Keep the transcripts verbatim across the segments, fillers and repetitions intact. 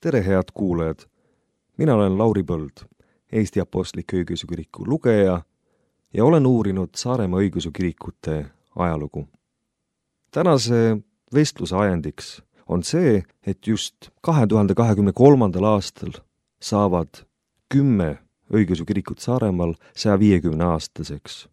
Tere, head kuulajad! Mina olen Lauri Põld, Eesti Apostlik Õigeusu Kiriku lugeja ja olen uurinud Saaremaa õigeusu kirikute ajalugu. Tänase vestluse ajendiks on see, et just kahe tuhande kahekümne kolmandal aastal saavad kümme õigeusu kirikut Saaremaal saja viiekümne aastaseks.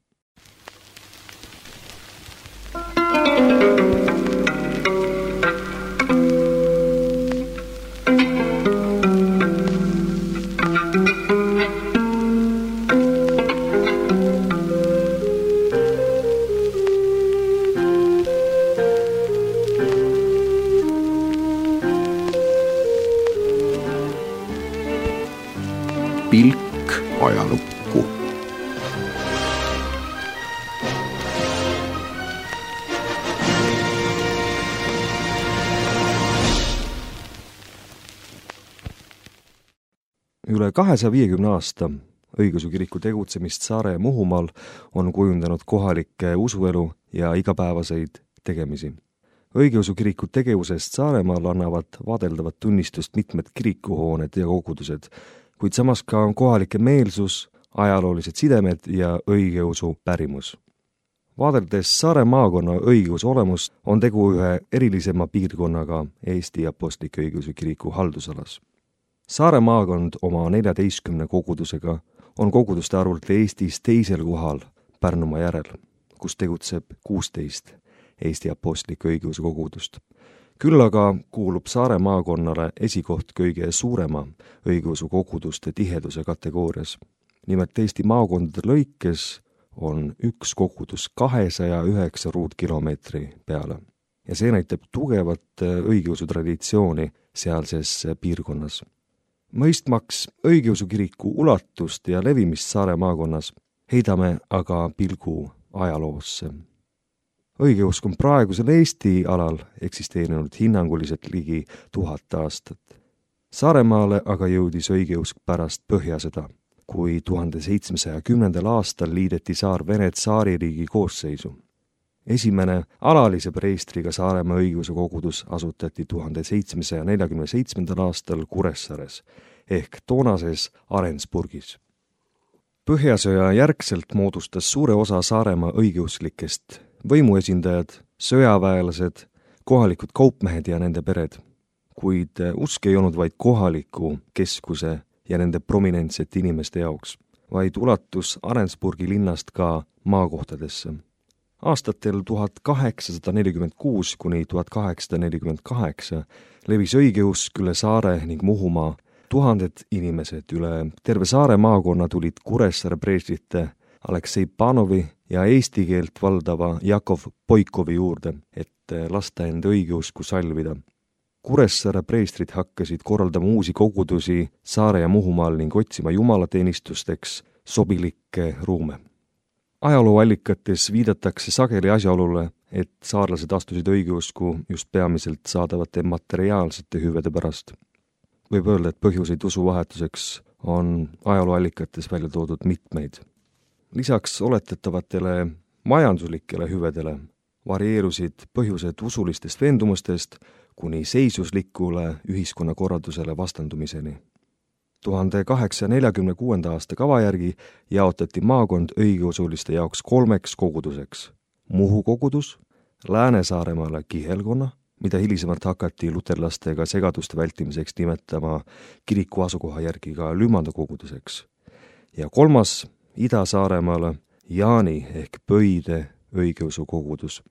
Pilk ajalukku. Üle kahesaja viiekümne aasta õigeusu kiriku tegutsemist Saare ja Muhumaal on kujundanud kohalikke usuelu ja igapäevaseid tegemisi. Õigeusu kiriku tegevusest Saaremaal annavad vaadeldavat tunnistust mitmed kirikuhooned ja kogudused, kuid samas ka kohalike meelsus, ajaloolised sidemed ja õigeusu pärimus. Vaadeldes Saare maakonna õigeusu olemust on tegu ühe erilisema piirkonnaga Eesti Apostlik Õigeusu Kiriku haldusalas. Saare maakond oma neljateistkümne kogudusega on koguduste arvult Eestis teisel kohal Pärnumaa järel, kus tegutseb kuusteist Eesti Apostlik Õigeusu kogudust. Küll aga kuulub Saare maakonnale esikoht kõige suurema õigeusu koguduste tiheduse kategoorias. Nimelt Eesti maakondade lõikes on üks kogudus kahesaja üheksa ruutkilomeetri peale ja see näitab tugevat õigeusu traditsiooni sealses piirkonnas. Mõistmaks õigeusu kiriku ulatust ja levimist Saare maakonnas heidame aga pilgu ajaloosse. Õigeusk on praegusel Eesti alal eksisteerinud hinnanguliselt ligi tuhat aastat. Saaremaale aga jõudis õigeusk pärast Põhjasõda, kui tuhande seitsmesaja kümnendal aastal liideti saar Vene tsaaririigi koosseisu. Esimene alalise preestriga Saaremaa õigeusu kogudus asutati tuhande seitsmesaja neljakümne seitsmendal aastal Kuressaares ehk toonases Arensburgis. Põhjasõja järgselt moodustas suure osa Saaremaa õigeusklikest võimuesindajad, sõjaväelased, kohalikud kaupmehed ja nende pered, kuid usk ei olnud vaid kohaliku keskuse ja nende prominentsete inimeste jaoks, vaid ulatus Arensburgi linnast ka maakohtadesse. Aastatel tuhat kaheksasada nelikümmend kuus kuni tuhat kaheksasada nelikümmend kaheksa levis õigeusk üle Saare ning Muhumaa. Tuhanded inimesed üle terve Saare maakonna tulid Kuressaare preestrite Aleksei Panovi ja eesti keelt valdava Jakov Poikovi juurde, et lasta enda õigeusku salvida. Kuressaare preestrid hakkasid korraldama uusi kogudusi Saare ja Muhumaal ning otsima jumalateenistusteks sobilikke ruume. Ajalooallikates viidatakse sageli asjaolule, et saarlased astusid õigeusku just peamiselt saadavate materiaalsete hüvede pärast. Võib öelda, et põhjuseid usuvahetuseks on ajalooallikates välja toodud mitmeid. Lisaks oletetavatele majanduslikele hüvedele varieerusid põhjused usulistest veendumustest kuni seisuslikule ühiskonnakorraldusele vastandumiseni. tuhande kaheksasaja neljakümne kuuenda aasta kava järgi jaotati maakond õigeusuliste jaoks kolmeks koguduseks. Muhu kogudus, Lääne-Saaremaale kihelkonna, mida hilisemalt hakati luterlastega segaduste vältimiseks nimetama kiriku asukoha järgi ka Lümanda koguduseks, ja kolmas Ida-Saaremaale Jaani ehk Pöide õigeusu kogudus.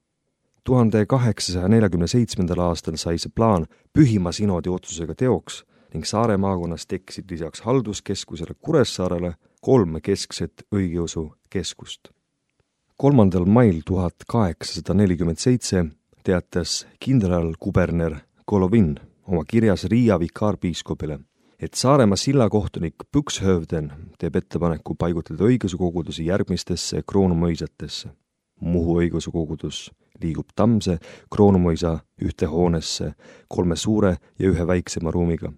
tuhande kaheksasaja neljakümne seitsmendal aastal sai see plaan Pühima sinodi otsusega teoks ning Saare maakonnas tekkisid lisaks halduskeskusele Kuressaarele kolm keskset õigeusu keskust. kolmandal mail tuhat kaheksasada nelikümmend seitse teatas kindralkuberner Golovin oma kirjas Riia vikaarpiiskopile, et Saaremaa sillakohtunik Pükshövden teeb ettepaneku paigutleda õigeusu kogudusi järgmistesse kroonumõisatesse. Muhu õigeusu kogudus liigub Tammse kroonumõisa ühte hoonesse kolme suure ja ühe väiksema ruumiga.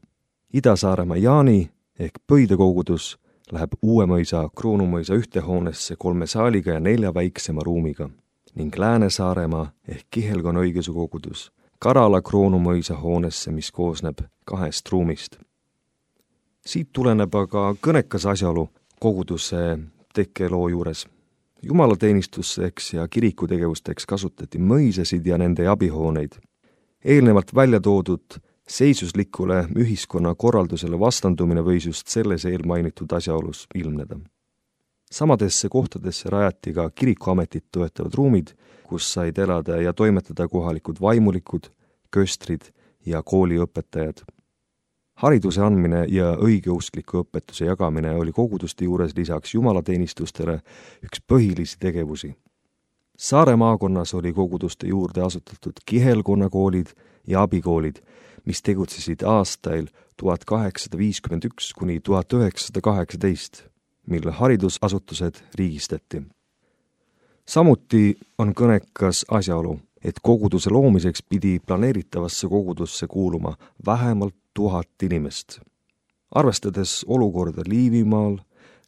Ida-Saaremaa Jaani ehk Pöide kogudus läheb Uuemõisa kroonumõisa ühte hoonesse kolme saaliga ja nelja väiksema ruumiga ning Lääne-Saaremaa ehk Kihelkonna õigeusu kogudus Karala Kroonumõisa hoonesse, mis koosneb kahest ruumist. Siit tuleneb aga kõnekas asjaolu koguduse tekkeloo juures. Jumalateenistusteks ja kirikutegevusteks kasutati mõisasid ja nende abihooneid. Eelnevalt välja toodud seisuslikule ühiskonna korraldusele vastandumine võis just selles eelmainitud asjaolus ilmneda. Samadesse kohtadesse rajati ka kirikuametit toetavad ruumid, kus said elada ja toimetada kohalikud vaimulikud, köstrid ja kooliõpetajad. Hariduse andmine ja õigeuskliku õpetuse jagamine oli koguduste juures lisaks jumalateenistustele üks põhilisi tegevusi. Saare maakonnas oli koguduste juurde asutatud kihelkonnakoolid ja abikoolid, mis tegutsesid aastail tuhat kaheksasada viiskümmend üks kuni tuhat üheksasada kaheksateist, mil haridusasutused riigistati. Samuti on kõnekas asjaolu, et koguduse loomiseks pidi planeeritavasse kogudusse kuuluma vähemalt tuhat inimest. Arvestades olukorda Liivimaal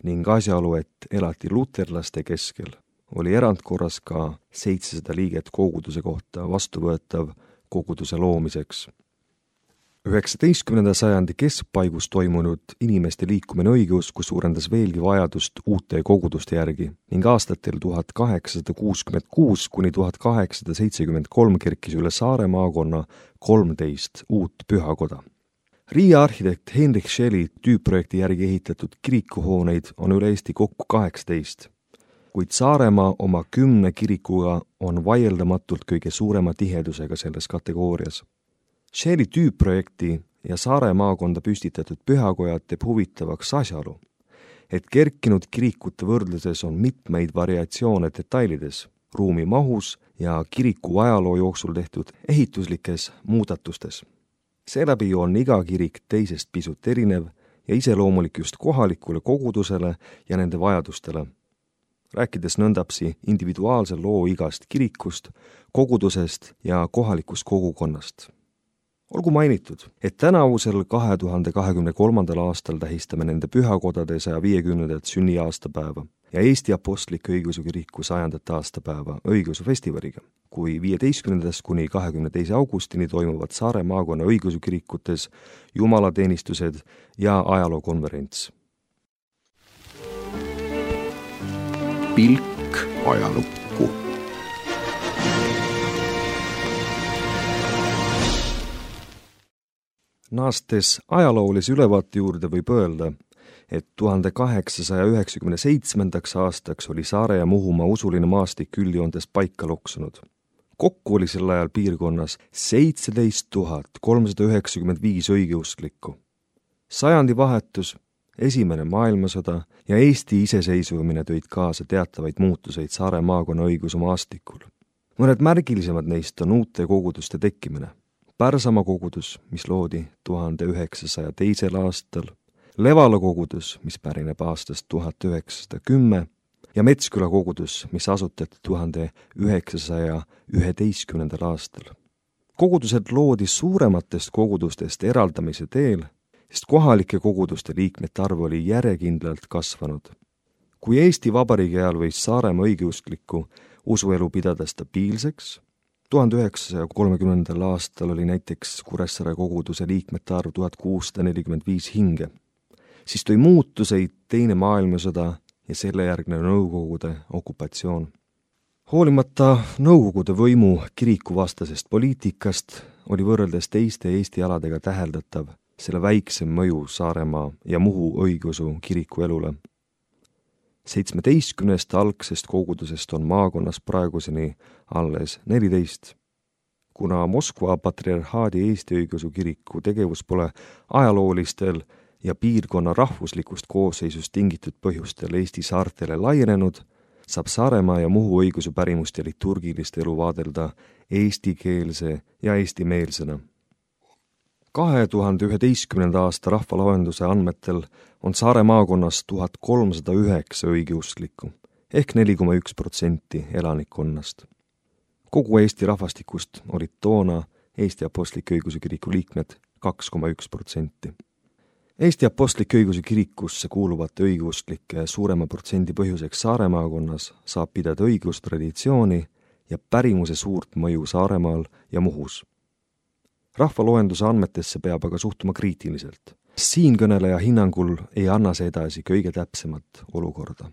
ning asjaolu, et elati luterlaste keskel, oli erandkorras ka seitsesada liiget koguduse kohta vastuvõetav koguduse loomiseks. üheksateistkümnenda sajandi keskpaigus toimunud inimeste liikumine õigeusku suurendas veelgi vajadust uute koguduste järgi ning aastatel tuhat kaheksasada kuuskümmend kuus kuni tuhat kaheksasada seitsekümmend kolm kerkis üle Saare maakonna kolmteist uut pühakoda. Riia arhitekt Henrik Scheli tüüpprojekti järgi ehitatud kirikuhooneid on üle Eesti kokku kaheksateist, kuid Saaremaa oma kümne kirikuga on vaieldamatult kõige suurema tihedusega selles kategoorias. Scheli tüüpprojekti ja Saare maakonda püstitatud pühakojad teeb huvitavaks asjaolu, et kerkinud kirikute võrdluses on mitmeid variatsioone detailides, ruumi mahus ja kiriku ajaloo jooksul tehtud ehituslikes muudatustes. Seeläbi on iga kirik teisest pisut erinev ja iseloomulik just kohalikule kogudusele ja nende vajadustele. Rääkides nõndapsi individuaalse loo igast kirikust, kogudusest ja kohalikust kogukonnast. Olgu mainitud, et tänavusel kahe tuhande kahekümne kolmandal aastal tähistame nende pühakodade saja viiekümnendat sünniaastapäeva ja Eesti Apostliku Õigeusu Kiriku sajandat aastapäeva õigeusufestivaliga, kui viieteistkümnendast kuni kahekümne teise augustini toimuvad Saare maakonna õigeusukirikutes jumalateenistused ja ajalookonverents. Pilk ajalukku. Naastes ajaloolise ülevaate juurde võib öelda, et tuhande kaheksasaja üheksakümne seitsmendaks aastaks oli Saare ja Muhumaa usuline maastik üldjoontes paika loksunud. Kokku oli sel ajal piirkonnas seitseteist tuhat kolmsada üheksakümmend viis õigeusklikku. Sajandi vahetus, esimene maailmasõda ja Eesti iseseisvumine tõid kaasa teatavaid muutuseid Saare maakonna õigeusu maastikul. Mõned märgilisemad neist on uute koguduste tekkimine. Pärsamaa kogudus, mis loodi tuhande üheksasaja teisel aastal, Levala kogudus, mis pärineb aastast tuhat üheksasada kümme ja Metsküla kogudus, mis asutati tuhande üheksasaja üheteistkümnendal aastal. Kogudused loodi suurematest kogudustest eraldamise teel, sest kohalike koguduste liikmete arv oli järjekindlalt kasvanud. Kui Eesti Vabariigi ajal võis Saaremaa õigeuskliku usuelu pidada stabiilseks, tuhande üheksasaja kolmekümnendal aastal oli näiteks Kuressaare koguduse liikmete arv tuhat kuussada nelikümmend viis hinge, siis tõi muutuseid teine maailmasõda ja selle järgne Nõukogude okupatsioon. Hoolimata Nõukogude võimu kirikuvastasest poliitikast oli võrreldes teiste Eesti aladega täheldatav selle väiksem mõju Saaremaa ja Muhu õigeusu kiriku elule. Seitsmeteistkümnest algsest kogudusest on maakonnas praeguseni alles neliteist. Kuna Moskva patriarhaadi Eesti õigeusu kiriku tegevus pole ajaloolistel ja piirkonna rahvuslikust koosseisust tingitud põhjustel Eesti saartele laienenud, saab Saaremaa ja Muhu õigeusu pärimust ja liturgilist elu vaadelda eestikeelse ja eestimeelsena. kahe tuhande üheteistkümnenda aasta rahvaloenduse andmetel on Saare maakonnas tuhat kolmsada üheksa õigeusklikku ehk neli koma üks protsenti elanikkonnast. Kogu Eesti rahvastikust olid toona Eesti Apostliku Õigeusu Kiriku liikmed kaks koma üks protsenti. Eesti Apostliku Õigeusu Kirikusse kuuluvate õigeusklike suurema protsendi põhjuseks Saare maakonnas saab pidada õigeustraditsiooni ja pärimuse suurt mõju Saaremaal ja Muhus. rahvaloenduse andmetesse peab aga suhtuma kriitiliselt. Siinkõneleja hinnangul ei anna see edasi kõige täpsemat olukorda.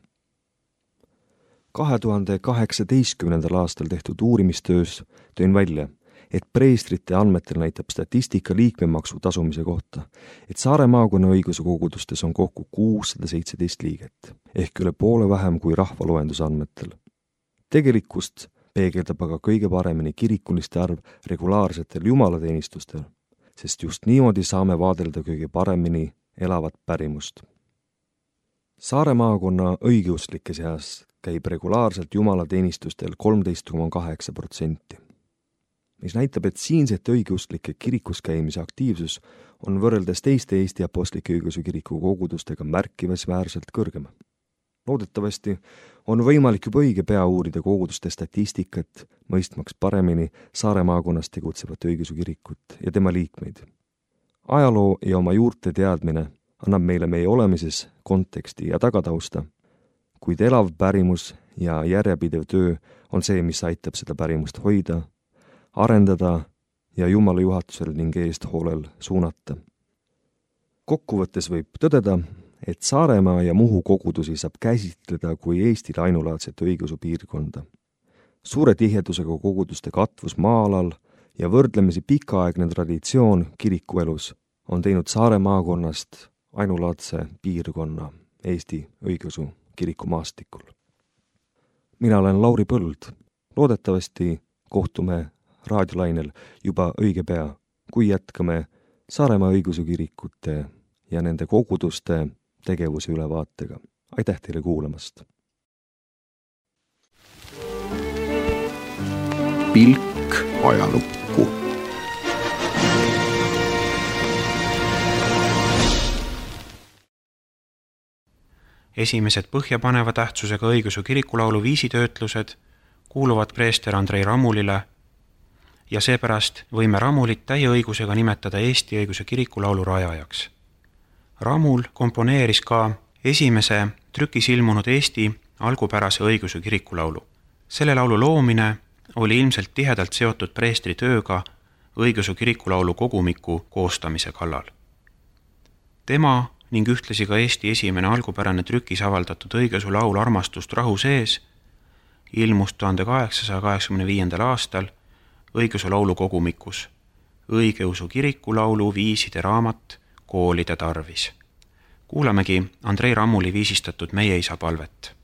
kahe tuhande kaheksateistkümnendal aastal tehtud uurimistöös tõin välja, et preestrite andmetel näitab statistika liikmemaksu tasumise kohta, et Saare maakonna õiguse kogudustes on kokku kuussada seitseteist liiget, ehk üle poole vähem kui rahvaloenduse andmetel. Tegelikkust peegeldab aga kõige paremini kirikuliste arv regulaarsetel jumalateenistustel, sest just niimoodi saame vaadelda kõige paremini elavat pärimust. Saare maakonna õigeusklike seas käib regulaarselt jumalateenistustel kolmteist koma kaheksa protsenti, mis näitab, et siinsete õigeusklike kirikus käimise aktiivsus on võrreldes teiste Eesti Apostlike Õigeusu Kiriku kogudustega märkimisväärselt kõrgem. Loodetavasti on võimalik juba õige pea uurida koguduste statistikat, mõistmaks paremini Saare maakonnas tegutsevat õigeusu kirikut ja tema liikmeid. Ajaloo ja oma juurte teadmine annab meile meie olemises konteksti ja tagatausta, kuid elav pärimus ja järjepidev töö on see, mis aitab seda pärimust hoida, arendada ja Jumala juhatusel ning eesthoolel suunata. Kokkuvõttes võib tõdeda, et Saaremaa ja Muhu kogudusi saab käsitleda kui Eestile ainulaadset õigeusu piirkonda. Suure tihedusega koguduste katvus maa-alal ja võrdlemisi pikaaegne traditsioon kirikuelus on teinud Saare maakonnast ainulaadse piirkonna Eesti õigeusu kiriku maastikul. Mina olen Lauri Põld. Loodetavasti kohtume raadiolainel juba õige pea, kui jätkame Saaremaa õigeusu kirikute ja nende koguduste tegevuse ülevaatega. Aitäh teile kuulamast! Pilk ajalukku. Esimesed põhjapaneva tähtsusega õigeusu kirikulaulu viisitöötlused kuuluvad preester Andrei Ramulile ja seepärast võime Ramulit täie õigusega nimetada Eesti õigeusu kirikulaulu rajajaks. Ramul komponeeris ka esimese trükis ilmunud Eesti algupärase õigeusu kirikulaulu. Selle laulu loomine oli ilmselt tihedalt seotud preestri tööga õigeusu kirikulaulu kogumiku koostamise kallal. Tema ning ühtlasi ka Eesti esimene algupärane trükis avaldatud õigeusu laul Armastust rahu sees ilmus tuhande kaheksasaja kaheksakümne viiendal aastal õigeusu laulu kogumikus õigeusu kirikulaulu viiside raamat koolide tarvis. Kuulamegi Andrei Ramuli viisistatud Meie isa palvet.